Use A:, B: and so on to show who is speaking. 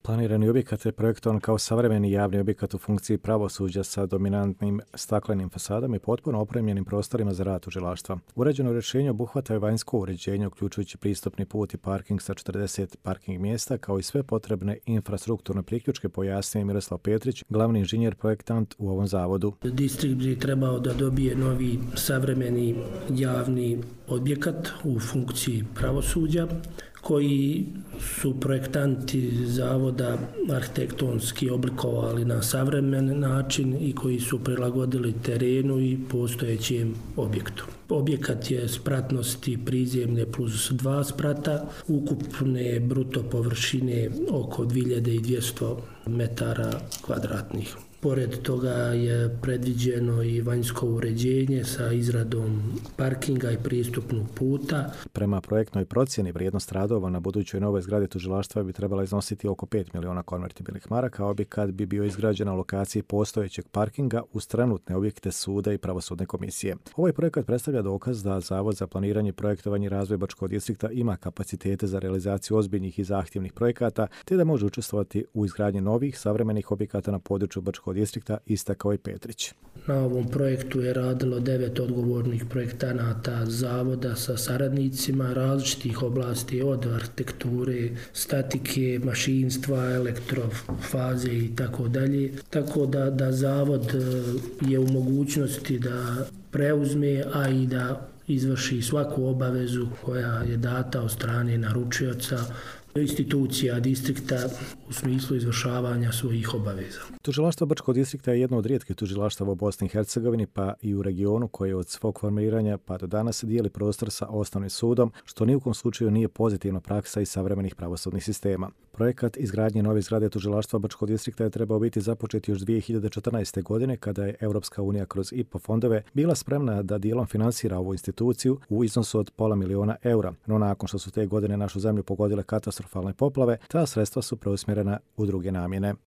A: Planirani objekat je projektovan kao savremeni javni objekat u funkciji pravosuđa sa dominantnim staklenim fasadama i potpuno opremljenim prostorima za rad tužilaštva. Uređeno rješenje obuhvata je vanjsko uređenje, uključujući pristupni put i parking sa 40 parking mjesta, kao i sve potrebne infrastrukturne priključke, pojasnio Miroslav Petrić, glavni inženjer projektant u ovom zavodu.
B: Distrikt bi trebao da dobije novi savremeni javni objekat u funkciji pravosuđa, koji su projektanti zavoda arhitektonski oblikovali na savremen način i koji su prilagodili terenu i postojećem objektu. Objekat je spratnosti prizemlje plus 2 sprata, ukupne bruto površine oko 2200 metara kvadratnih. Pored toga je predviđeno i vanjsko uređenje sa izradom parkinga i pristupnog puta.
A: Prema projektnoj procjeni vrijednost radova na budućoj novoj zgradi tužilaštva bi trebala iznositi oko 5 miliona konvertibilnih maraka, a objekat bi bio izgrađen na lokaciji postojećeg parkinga uz trenutne objekte suda i pravosudne komisije. Ovaj projekat predstavlja dokaz da Zavod za planiranje, projektovanje i razvoj Bačkog distrikta ima kapacitete za realizaciju ozbiljnih i zahtjevnih projekata, te da može učestvovati u izgradnji novih savremenih objekata na području Bačkog distrikta, istakao i Petrić.
B: Na ovom projektu je radilo 9 odgovornih projektanata zavoda sa saradnicima različitih oblasti, od arhitekture, statike, mašinstva, elektrofaze i tako dalje. Tako da zavod je u mogućnosti da preuzme, a i da izvrši svaku obavezu koja je data od strane naručioca, institucija distrikta u smislu izvršavanja svojih obaveza.
A: Tužilaštvo Bačkog distrikta je jedno od rijetkih tužilaštava u Bosni i Hercegovini pa i u regionu koje od svog formiranja pa do danas dijeli prostor sa osnovnim sudom, što ni u kom slučaju nije pozitivna praksa iz savremenih pravosudnih sistema. Projekat izgradnje nove zgrade tužilaštva Bačkog distrikta je trebao biti započet još 2014. godine kada je Europska unija kroz IPA fondove bila spremna da dijelom finansira ovu instituciju u iznosu od €500.000, no nakon što su te godine našu zemlju pogodile katastrofalne poplave, ta sredstva su preusmjerena u druge namjene.